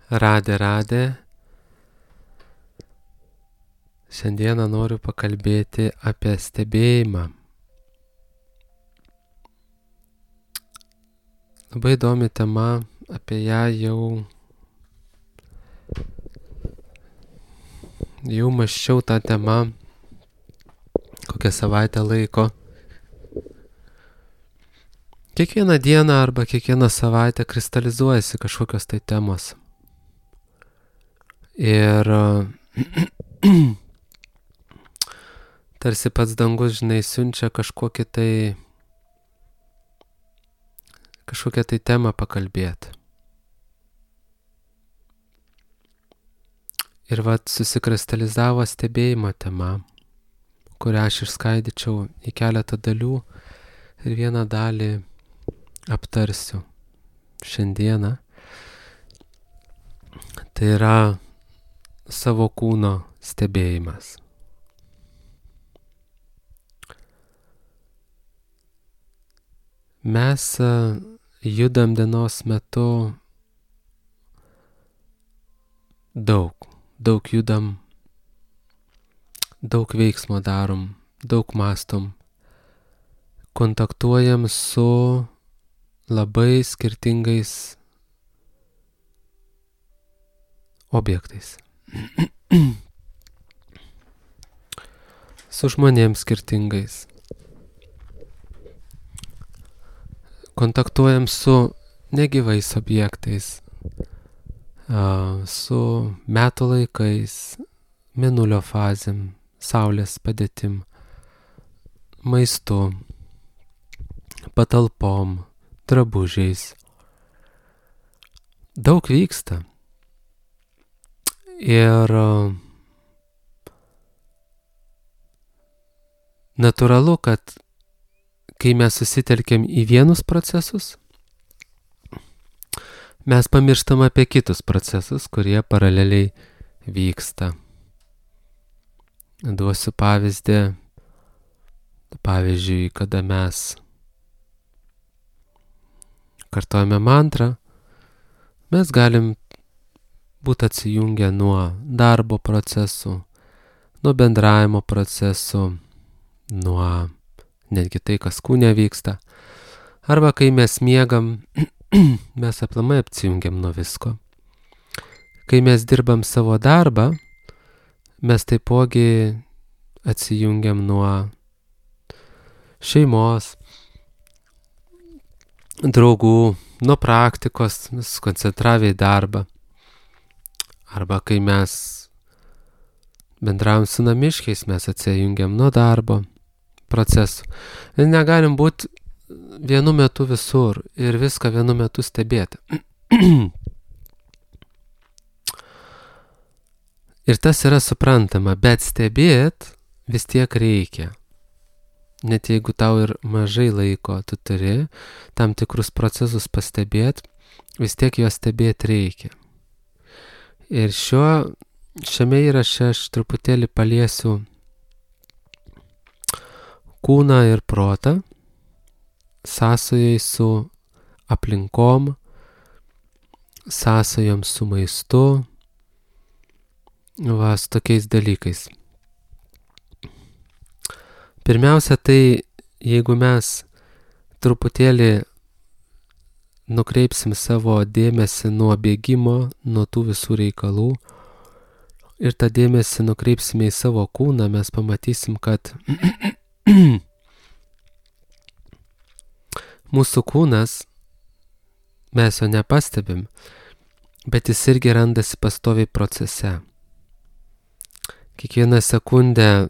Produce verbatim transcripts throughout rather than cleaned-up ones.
Radė, radė. Šiandieną noriu pakalbėti apie stebėjimą. Labai įdomi tema, apie ją jau, jau mąsčiau tą temą kokią savaitę laiko. Kiekvieną dieną arba kiekvieną savaitę kristalizuojasi kažkokios tai temos. Ir tarsi pats dangus, žinai, siunčia kažkokį tai, kažkokią tai temą pakalbėti. Ir vat susikristalizavo stebėjimo tema, kurią aš išskaidyčiau į keletą dalių ir vieną dalį aptarsiu šiandieną. Tai yra savo kūno stebėjimas. Mes judam dienos metu daug, daug judam, daug veiksmo darom, daug mąstom, kontaktuojam su labai skirtingais objektais. Su žmonėms skirtingais. Kontaktuojam su negyvais objektais, su metų laikais, mėnulio fazėm, saulės padėtim, maistu, patalpom, drabužiais. Daug vyksta. Ir natūralu, kad kai mes susitelkiam į vienus procesus, mes pamirštam apie kitus procesus, kurie paraleliai vyksta. Duosiu pavyzdį. Pavyzdžiui, kada mes kartojame mantrą, mes galim būti atsijungę nuo darbo procesų, nuo bendravimo procesų, nuo netgi tai, kas kūne vyksta. Arba kai mes miegam, mes aplamai apsijungiam nuo visko. Kai mes dirbam savo darbą, mes taipogi atsijungiam nuo šeimos, draugų, nuo praktikos, susikoncentravę į darbą. Arba kai mes bendravom su namiškiais, mes atsijungiam nuo darbo procesų. Ir negalim būti vienu metu visur ir viską vienu metu stebėti. Ir tas yra suprantama, bet stebėt vis tiek reikia. Net jeigu tau ir mažai laiko, tu turi tam tikrus procesus pastebėti, vis tiek juos stebėti reikia. Ir šio, šiame įraše aš truputėlį paliesiu kūną ir protą, sąsajai su aplinkom, sąsajom su maistu, va, su tokiais dalykais. Pirmiausia, tai jeigu mes truputėlį nukreipsim savo dėmesį nuo bėgimo, nuo tų visų reikalų ir tą dėmesį nukreipsime į savo kūną, mes pamatysim, kad mūsų kūnas, mes jo nepastebim, bet jis irgi randasi pastoviai procese. Kiekvieną sekundę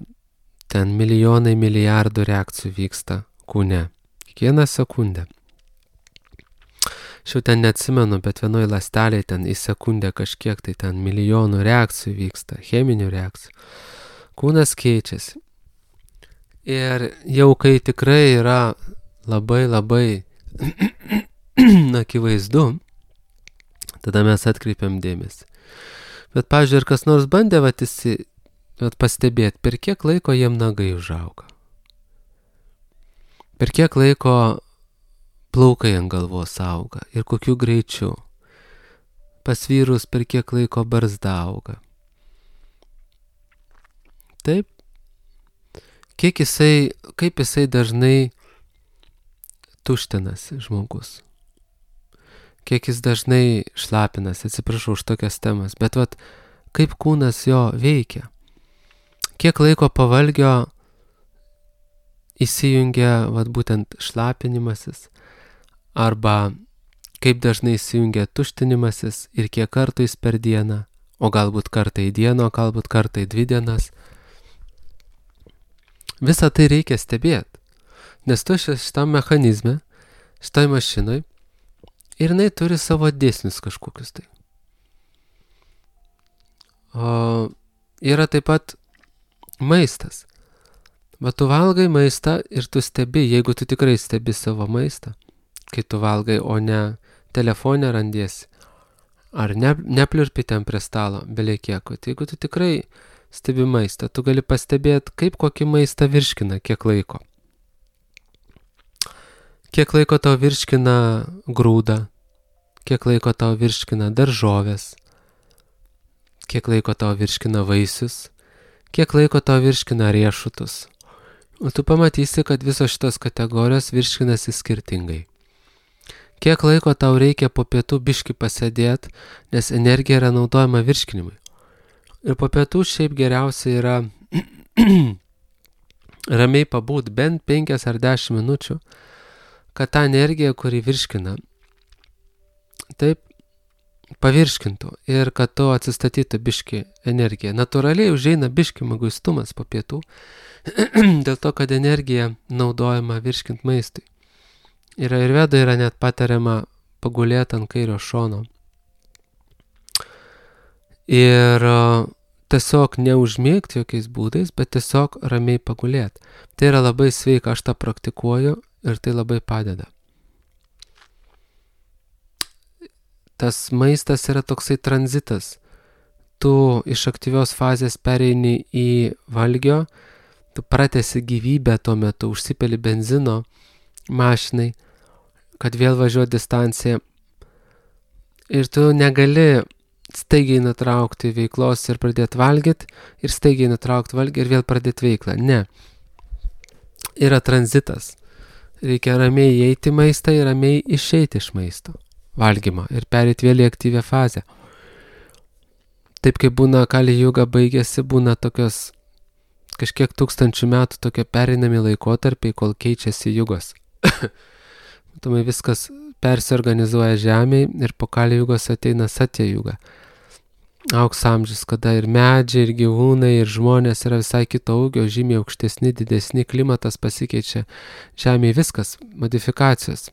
ten milijonai milijardų reakcijų vyksta kūne. Kiekvieną sekundę. Aš jau ten neatsimenu, bet vienoj ląstelėje ten į sekundę kažkiek tai ten milijonų reakcijų vyksta, cheminių reakcijų. Kūnas keičiasi. Ir jau kai tikrai yra labai labai akivaizdu, tada mes atkreipiam dėmesį. Bet, pavyzdžiui, ir kas nors bandė vat, įsi, vat, pastebėti, per kiek laiko jiem nagai užauga. Per kiek laiko plaukai ant galvos auga ir kokiu greičiu. pas vyrus per kiek laiko barzda auga. Taip, kiek jisai, kaip jisai dažnai tuštinasi žmogus. Kiek jis dažnai šlapinasi, atsiprašau už tokias temas, bet vat, kaip kūnas jo veikia. Kiek laiko pavalgio įsijungia vat, būtent šlapinimasis, arba kaip dažnai įsijungia tuštinimasis ir kiek kartų jis per dieną, o galbūt kartą į dieną, o galbūt kartą į dvi dienas. Visą tai reikia stebėti, nes tu šitam mechanizme, šitai mašinai, ir jinai turi savo dėsnius kažkokius tai. O yra taip pat maistas. Va tu valgai maistą ir tu stebi, jeigu tu tikrai stebi savo maistą, kai tu valgai, o ne telefone randiesi, ar ne, nepliurpi ten prie stalo, belekieko. Tai jeigu tu tikrai stebi maistą, tu gali pastebėti, kaip kokį maistą virškina, kiek laiko. Kiek laiko tau virškina grūdą, kiek laiko tau virškina daržovės, kiek laiko tau virškina vaisius, kiek laiko tau virškina riešutus. O tu pamatysi, kad visos šitos kategorijos virškinasi skirtingai. Kiek laiko tau reikia po pietų biškį pasėdėti, nes energija yra naudojama virškinimui. Ir po pietų šiaip geriausia yra ramiai pabūt bent penkias ar dešimt minučių, kad ta energija, kuri virškina, taip pavirškintų ir kad tu atsistatytų biškį energiją. Natūraliai užeina biškį mieguistumas po pietų, dėl to, kad energija naudojama virškint maistui. Ir Ajurvedoj yra net patariama pagulėti ant kairio šono. Ir tiesiog neužmėgti jokiais būdais, bet tiesiog ramiai pagulėti. Tai yra labai sveika, aš tą praktikuoju ir tai labai padeda. Tas maistas yra toksai tranzitas. Tu iš aktyvios fazės pereini į valgio, tu pratęsi gyvybę tuo metu, užsipeli benzino mašinai, kad vėl važiuoti distanciją. Ir tu negali staigiai nutraukti veiklos ir pradėti valgyti, ir staigiai nutraukti valgį ir vėl pradėti veiklą. Ne. Yra tranzitas. Reikia ramiai įeiti į maistą ir ramiai išeiti iš maisto valgymo ir perėti vėl į aktyvią fazę. Taip kaip būna Kali Juga baigėsi, būna tokios kažkiek tūkstančių metų tokie pereinami laikotarpiai, kol keičiasi jugos. Tomai viskas persiorganizuoja žemėje ir po Kali Jugos ateina Satya Juga. Auks amžius, kada ir medžiai, ir gyvūnai, ir žmonės yra visai kito ūgio, žymiai aukštesni, didesni, klimatas pasikeičia žemėje, viskas, modifikacijos.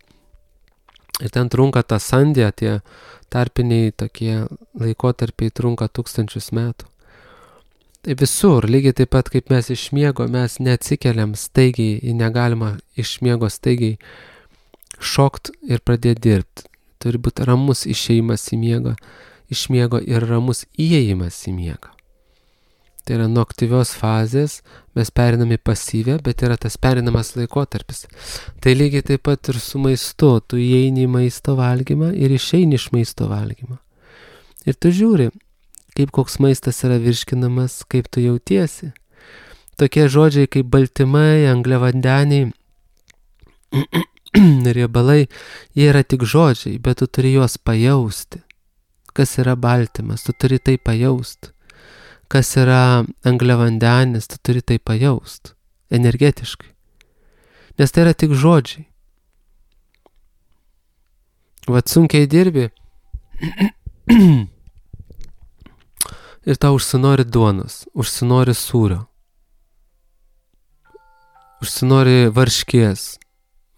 Ir ten trunka ta sandė, tie tarpiniai tokie laikotarpiai trunka tūkstančius metų. Tai visur, lygiai taip pat kaip mes iš miego, mes neatsikeliam staigiai, negalima iš miego staigiai šokt ir pradėti dirbti. Turi būti ramus išėjimas į miegą, iš miego ir ramus įėjimas į miegą. Tai yra nuo aktyvios fazės, mes periname pasyvę, bet yra tas perinamas laikotarpis. Tai lygiai taip pat ir su maistu, tu įeini į maisto valgymą ir išeini iš maisto valgymą. Ir tu žiūri, kaip koks maistas yra virškinamas, kaip tu jautiesi. Tokie žodžiai kaip baltymai, angliavandeniai, riebalai, jie yra tik žodžiai, bet tu turi juos pajausti. Kas yra baltymas, tu turi tai pajausti. Kas yra angliavandenis, tu turi tai pajausti, energetiškai. Nes tai yra tik žodžiai. Vat sunkiai dirbi ir tau užsinori duonos, užsinori sūrio, užsinori varškės,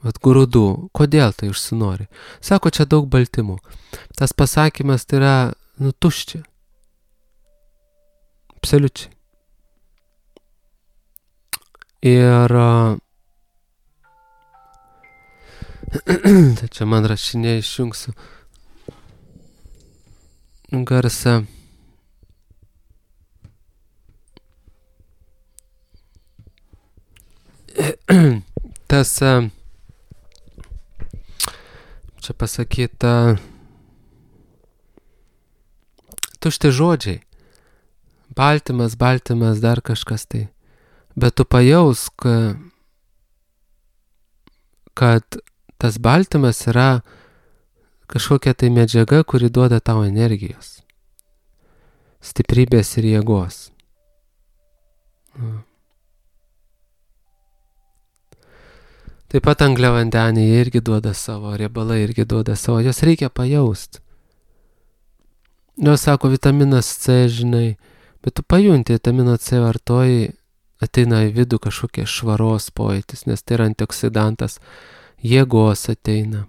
vat grūdų. Kodėl tai užsinori? Sako, čia daug baltymų. Tas pasakymas tai yra, nu, tuščia. Absoliučiai. Ir tai čia man rašinė išjungsiu garsą. Tas čia pasakyta tušti žodžiai. Baltymas, baltymas, dar kažkas tai. Bet tu pajausk, kad tas baltymas yra kažkokia tai medžiaga, kuri duoda tau energijos, stiprybės ir jėgos. Taip pat angliavandeniai irgi duoda savo, riebalai irgi duoda savo, jos reikia pajausti. Jos sako vitaminas C, žinai, bet tu pajunti vitamino C vartoji, ateina į vidų kažkokie švaros pojūtis, nes tai yra antioksidantas, jėgos ateina.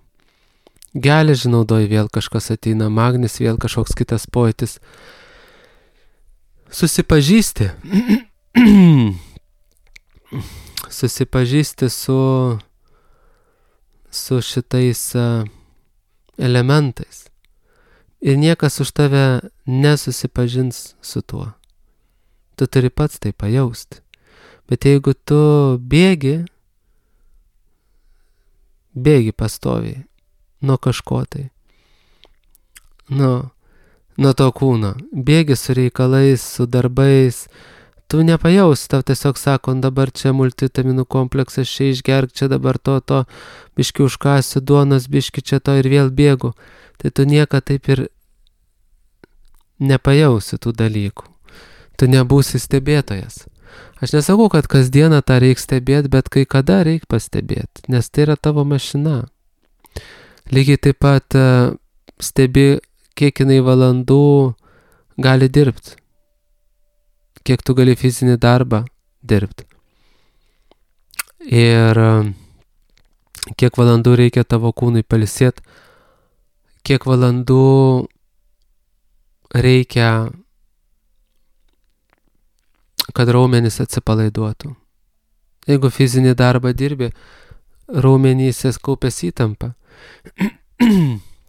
Geležį naudoji, vėl kažkas ateina, magnis, vėl kažkoks kitas pojūtis. Susipažįsti. Susipažįsti su, su šitais elementais. Ir niekas už tave nesusipažins su tuo. Tu turi pats tai pajausti. Bet jeigu tu bėgi, bėgi pastoviai nuo kažko tai, nuo, nuo to kūno, bėgi su reikalais, su darbais, tu nepajausi, tau tiesiog sako, dabar čia multivitaminų kompleksas, čia išgerk, čia dabar to, to, biški užkasiu duonos, biški čia to ir vėl bėgu. Tai tu nieko taip ir nepajausi tų dalykų. Tu nebūsi stebėtojas. Aš nesakau, kad kasdieną tą reik stebėti, bet kai kada reik pastebėti, nes tai yra tavo mašina. Lygiai taip pat stebi, kiek jinai valandų gali dirbti, kiek tu gali fizinį darbą dirbti. Ir kiek valandų reikia tavo kūnui pailsėti, kiek valandų reikia, kad raumenys atsipalaiduotų. Jeigu fizinį darbą dirbi, raumenyse kaupės įtampa.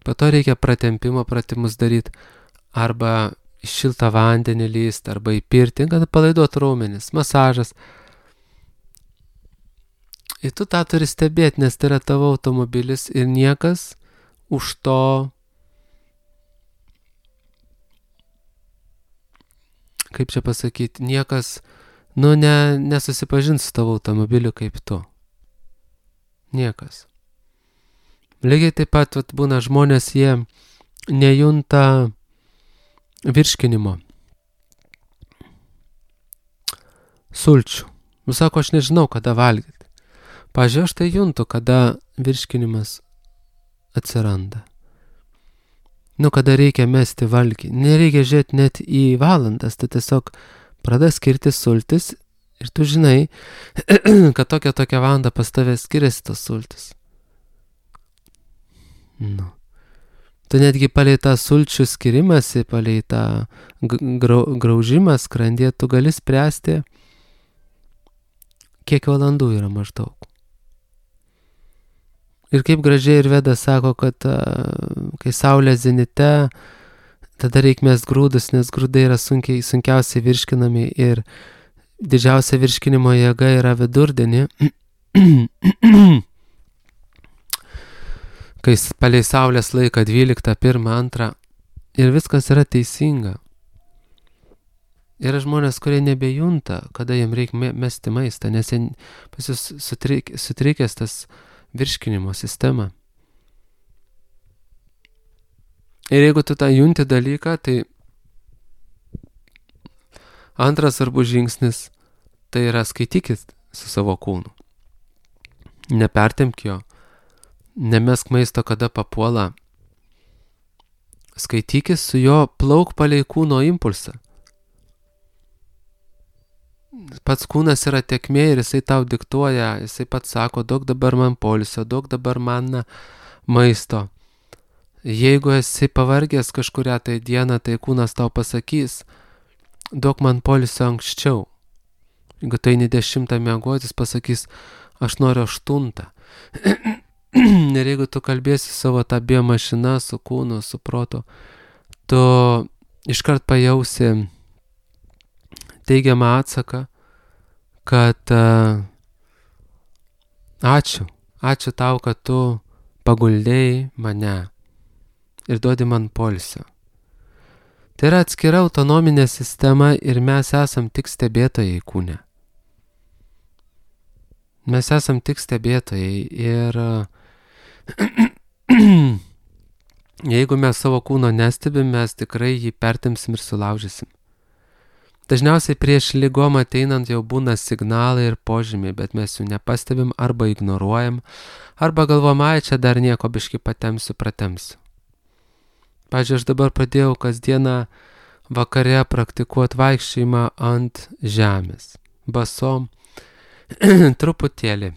Po to reikia pratempimo pratimus daryti, arba į šiltą vandenį lyst, arba į pirtį, kad palaiduotų raumenis, masažas. Ir tu tą turi stebėti, nes tai yra tavo automobilis ir niekas už to kaip čia pasakyti, niekas, nu, ne, nesusipažins su tavo automobiliu kaip tu. Niekas. Lygiai taip pat vat, būna žmonės, jie nejunta virškinimo. Sulčių. Nu, sako, aš nežinau, kada valgyti. Pavyzdžiui, aš tai juntu, kada virškinimas atsiranda. Nu, kada reikia mesti valgį. Nereikia žiūrėti net į valandas, tai tiesiog pradeda skirti sultis ir tu žinai, kad tokia tokia valanda pas tave skiriasi tos sultis. Nu. Tu netgi palei tą sulčių skirimąsi, palei tą grau, graužimą skrandį, tu gali spręsti, kiek valandų yra maždaug. Ir kaip gražiai ir Veda sako, kad kai saulė zenite, tada reik mest grūdus, nes grūdai yra sunkiai, sunkiausiai virškinami ir didžiausia virškinimo jėga yra vidurdienį, kai palei saulės laiką dvyliktą, pirmą, antrą ir viskas yra teisinga. Yra žmonės, kurie nebejunta, kada jiem reikia mesti maistą, nes jie pas jūs sutrik, sutrikęs tas virškinimo sistema. Ir jeigu tu tą junti dalyką, tai antras svarbus žingsnis, tai yra skaitykis su savo kūnu. Nepertemk jo, nemesk maisto, kada papuola. Skaitykis su jo, plauk palei kūno impulsą. Pats kūnas yra tekmė ir jisai tau diktuoja, jisai pats sako, daug dabar man poilsio, daug dabar man maisto. Jeigu esi pavargęs kažkurią tai dieną, tai kūnas tau pasakys, daug man poilsio anksčiau. Jeigu tai ne dešimtą miegotis, pasakys, aš noriu aštuntą. Ir jeigu tu kalbėsi savo tą biomašiną su kūnu, su protu, tu iškart pajausi teigiamą atsaką, kad uh, ačiū, ačiū tau, kad tu paguldėjai mane ir duodi man poilsio. Tai yra atskira autonominė sistema ir mes esam tik stebėtojai kūne. Mes esam tik stebėtojai ir jeigu mes savo kūno nestebim, mes tikrai jį pertemsim ir sulaužysim. Dažniausiai prieš ligom ateinant jau būna signalai ir požymiai, bet mes jų nepastebim arba ignoruojam, arba galvom, ai, čia dar nieko biškį patemsiu, pratemsiu. Pavyzdžiui, aš dabar pradėjau kasdieną vakare praktikuoti vaikščiojimą ant žemės, basom, truputėlį,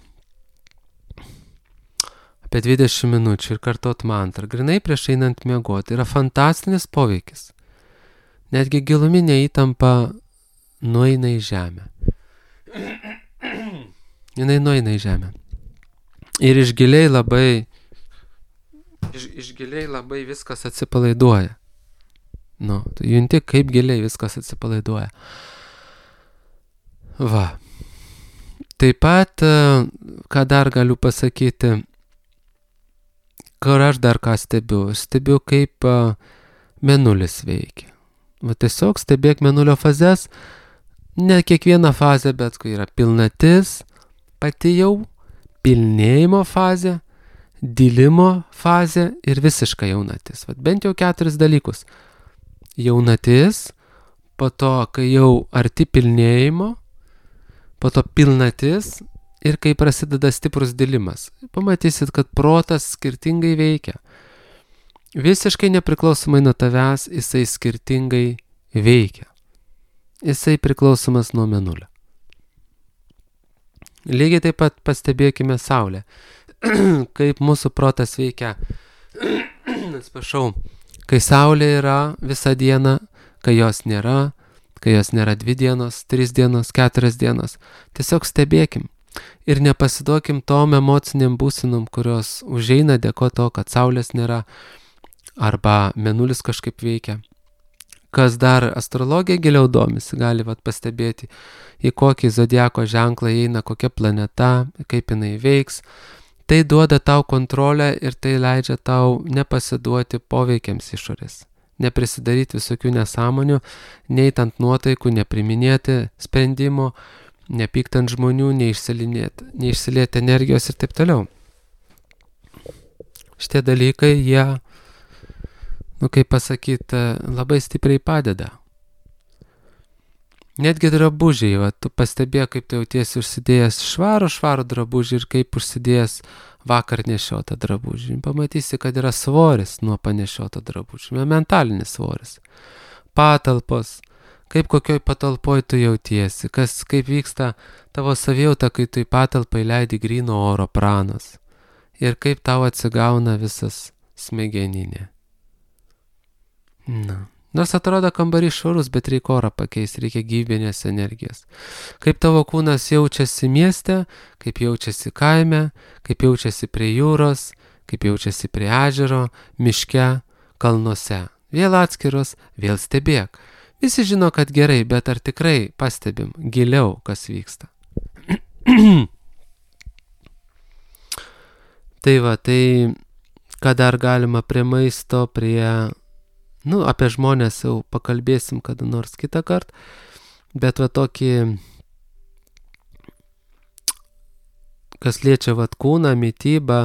apie dvidešimt minučių ir kartot mantrą, grinai prieš einant miegoti. Yra fantastinis poveikis. Netgi giluminė įtampa nueina į žemę. Jinai nueina į žemę. Ir iš giliai labai, iš, iš giliai labai viskas atsipalaiduoja. Nu, tu junti, kaip giliai viskas atsipalaiduoja. Va. Taip pat, ką dar galiu pasakyti, kur aš dar ką stebiu. Stebiu, kaip mėnulis veikia. Va tiesiog stebėk mėnulio fazes, ne kiekvieną fazę, bet kai yra pilnatis, pati jau, pilnėjimo fazė, dilimo fazė ir visiška jaunatis. Va bent jau keturis dalykus. Jaunatis, po to, kai jau arti pilnėjimo, po to pilnatis ir kai prasideda stiprus dilimas. Pamatysit, kad protas skirtingai veikia. Visiškai nepriklausomai nuo tavęs, jisai skirtingai veikia. Jisai priklausomas nuo mėnulio. Lygiai taip pat pastebėkime Saulę. Kaip mūsų protas veikia, atsiprašau, kai Saulė yra visą dieną, kai jos nėra, kai jos nėra dvi dienos, tris dienos, keturias dienos. Tiesiog stebėkim. Ir nepasiduokim tom emociniam būsenom, kurios užeina dėko to, kad Saulės nėra, arba mėnulis kažkaip veikia. Kas dar astrologija giliau domisi, gali vat pastebėti, į kokį zodiako ženklą įeina kokia planeta, kaip jinai veiks. Tai duoda tau kontrolę ir tai leidžia tau nepasiduoti poveikiams išorės. Neprisidaryti visokių nesąmonių, neit ant nuotaikų, nepriminėti sprendimo, nepykt ant žmonių, neišsilieti energijos ir taip toliau. Šitie dalykai, jie, nu kaip pasakyti, labai stipriai padeda. Netgi drabužiai, va, tu pastebėk, kaip tu jautiesi užsidėjęs švarų, švarų drabužį ir kaip užsidėjęs vakar nešiotą drabužį. Pamatysi, kad yra svoris nuo panešioto drabužį, mentalinis svoris. Patalpos, kaip kokioj patalpoj tu jautiesi, kas, kaip vyksta tavo savijauta, kai tu į patalpą įleidi gryno oro pranas ir kaip tau atsigauna visas smegeninė. Na. Nors atrodo kambarys švarus, bet reikia orą pakeisti, reikia gyvybinės energijos. Kaip tavo kūnas jaučiasi mieste, kaip jaučiasi kaime, kaip jaučiasi prie jūros, kaip jaučiasi prie ežero, miške, kalnuose. Vėl atskiros, vėl stebėk. Visi žino, kad gerai, bet ar tikrai pastebim giliau, kas vyksta. Tai va, tai ką dar galima prie maisto, prie... Nu, apie žmonės jau pakalbėsim kada nors kitą kartą, bet va tokį, kas liečia vat kūną, mitybą,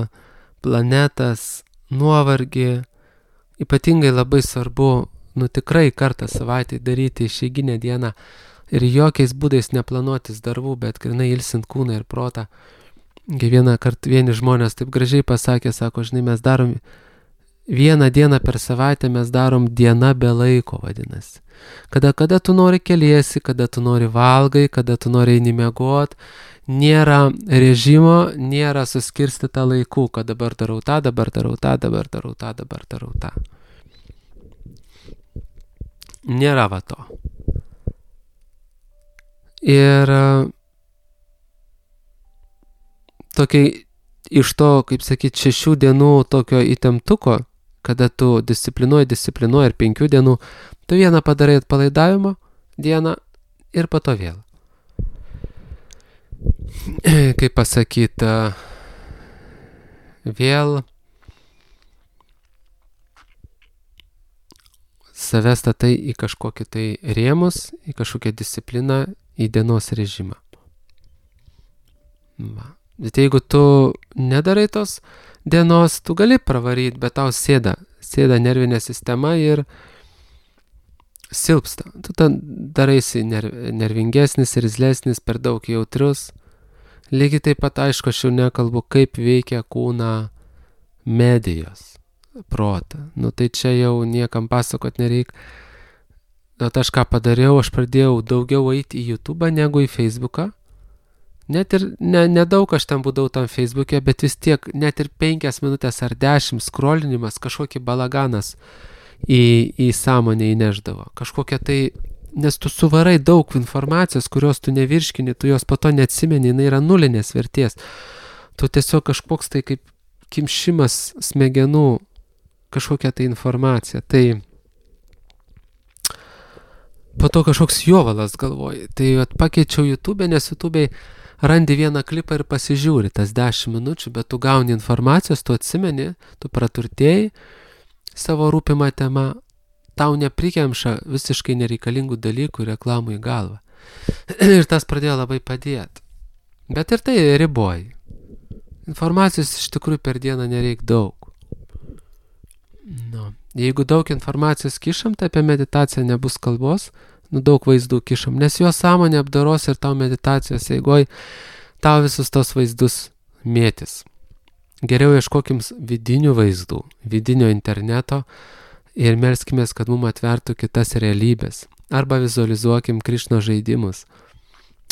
planetas, nuovargį, ypatingai labai svarbu, nu tikrai kartą savaitę daryti išeiginę dieną ir jokiais būdais neplanuotis darbų, bet grinai ilsint kūną ir protą. Vieną kartą vieni žmonės taip gražiai pasakė, sako, žinai, mes darom vieną dieną per savaitę, mes darom diena be laiko, vadinasi. Kada, kada tu nori keliesi, kada tu nori valgai, kada tu nori eini miegot, nėra režimo, nėra suskirstyta laikų, kad dabar darau tą, dabar darau tą, dabar darau tą, dabar darau tą. Nėra va to. Ir tokiai iš to, kaip sakyti, šešių dienų tokio įtemptuko, kada tu disciplinuoji, disciplinuoji ir penkių dienų, tu vieną padarai atpalaidavimo dieną ir po to vėl. Kaip pasakyti, vėl save statai į kažkokį tai rėmus, į kažkokią discipliną, į dienos režimą. Va. Bet jeigu tu nedarai tos dienos, tu gali pravaryti, bet tau sėda, sėda nervinė sistema ir silpsta. Tu ten daraisi nervingesnis, rizlesnis, per daug jautrus. Lygiai taip pat, aišku, aš jau nekalbu, kaip veikia kūną medijos, protą. Nu tai čia jau niekam pasakot nereik. Bet aš ką padariau, aš pradėjau daugiau eiti į YouTube negu į Facebooką. Net ir ne, nedaug aš ten būdavau tam Facebook'e, bet vis tiek net ir penkias minutės ar dešimt skrolinimas, kažkokį balaganas į, į sąmonę įneždavo. Kažkokia tai, nes tu suvarai daug informacijos, kurios tu nevirškini, tu jos po to neatsimeni, jinai yra nulinės vertės. Tu tiesiog kažkoks tai kaip kimšimas smegenų, kažkokia tai informacija. Tai po to kažkoks jovalas galvoji. Tai at, pakeičiau YouTube, nes YouTube randi vieną klipą ir pasižiūri tas dešimt minučių, bet tu gauni informacijos, tu atsimeni, tu praturtėjai savo rūpimą temą, tau neprikemša visiškai nereikalingų dalykų reklamų į galvą. Ir tas pradėjo labai padėti. Bet ir tai riboji. Informacijos iš tikrųjų per dieną nereik daug. Nu, jeigu daug informacijos kišam, tai apie meditaciją nebus kalbos, nu daug vaizdų kišam, nes jo sąmonė apdaros ir tau meditacijos eigoj tau visus tos vaizdus mėtis. Geriau ieškokim vidinių vaizdų, vidinio interneto ir melskimės, kad mum atvertų kitas realybės. Arba vizualizuokim Krišno žaidimus,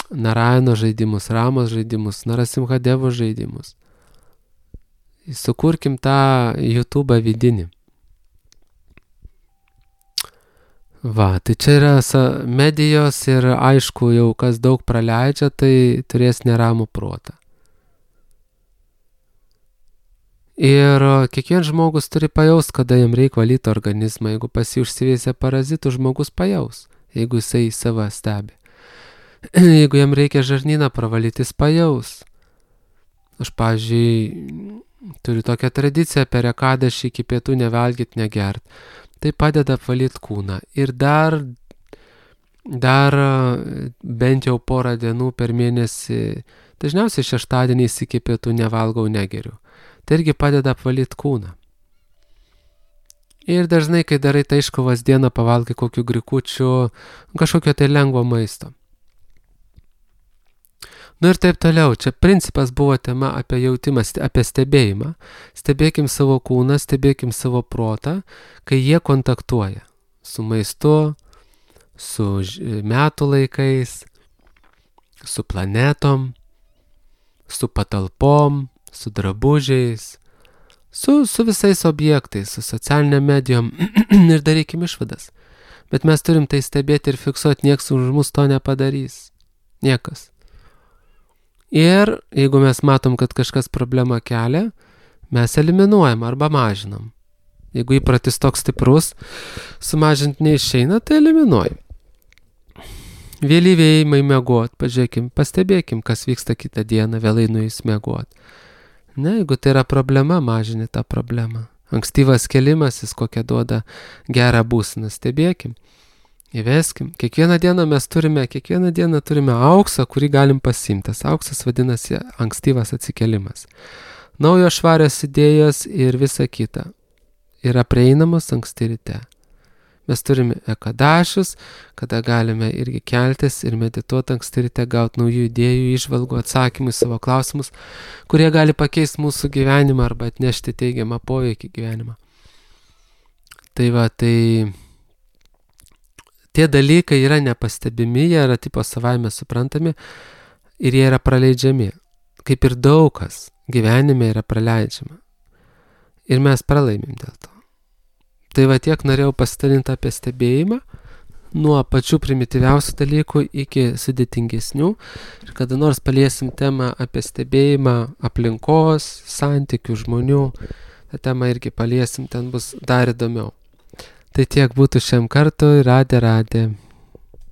Narayano žaidimus, Ramos žaidimus, Narasimhadevo žaidimus. Sukurkim tą YouTube vidinį. Va, tai čia yra medijos ir aišku, jau kas daug praleidžia, tai turės neramų protą. Ir kiekvienas žmogus turi pajaust, kada jam reikia valyti organizmą. Jeigu pas jį užsiveisia parazitų, žmogus pajaus, jeigu jisai save stebi. Jeigu jam reikia žarnyną pravalyti, jis pajaus. Aš, pavyzdžiui, turiu tokią tradiciją per ekadašį iki pietų nevalgyt, negert. Tai padeda apvalyti kūną. Ir dar, dar bent jau porą dienų per mėnesį, dažniausiai šeštadieniais iki pietų nevalgau, negeriu. Tai irgi padeda apvalyti kūną. Ir dažnai, kai darai tai iškovas dieną, pavalgai kokių grikučių, kažkokio tai lengvo maisto. Nu ir taip toliau. Čia principas buvo tema apie jautimą, apie stebėjimą. Stebėkim savo kūną, stebėkim savo protą, kai jie kontaktuoja su maistu, su metų laikais, su planetom, su patalpom, su drabužiais, su, su visais objektais, su socialiniam medijom ir darykim išvadas. Bet mes turim tai stebėti ir fiksuoti, nieks už mus to nepadarys. Niekas. Ir jeigu mes matom, kad kažkas problemą kelia, mes eliminuojam arba mažinam. Jeigu įpratis toks stiprus, sumažinti neišeina, tai eliminuojam. Vėlyvėjimai miegot, pažiūrėkim, pastebėkim, kas vyksta kitą dieną, vėlai nuėjus miegot. Ne, jeigu tai yra problema, mažini tą problemą. Ankstyvas kelimasis, kokią duoda gerą būseną, stebėkim. Įveskim. Kiekvieną dieną mes turime, kiekvieną dieną turime auksą, kurį galim pasiimti. Tas auksas vadinasi ankstyvas atsikelimas. Naujos švarios idėjos ir visa kita yra prieinamos anksti ryte. Mes turime ekadašius, kada galime irgi keltis ir medituoti anksti ryte, gauti naujų idėjų, įžvalgų, atsakymų į savo klausimus, kurie gali pakeisti mūsų gyvenimą arba atnešti teigiamą poveikį gyvenimą. Tai va, tai tie dalykai yra nepastebimi, jie yra tipo savaime suprantami ir jie yra praleidžiami. Kaip ir daug kas gyvenime yra praleidžiama. Ir mes pralaimim dėl to. Tai va tiek norėjau pasidalinti apie stebėjimą, nuo pačių primityviausių dalykų iki sudėtingesnių. Ir kada nors paliesim temą apie stebėjimą aplinkos, santykių, žmonių, tą temą irgi paliesim, ten bus dar įdomiau. Tai tiek būtų šiam kartui, radė, radė.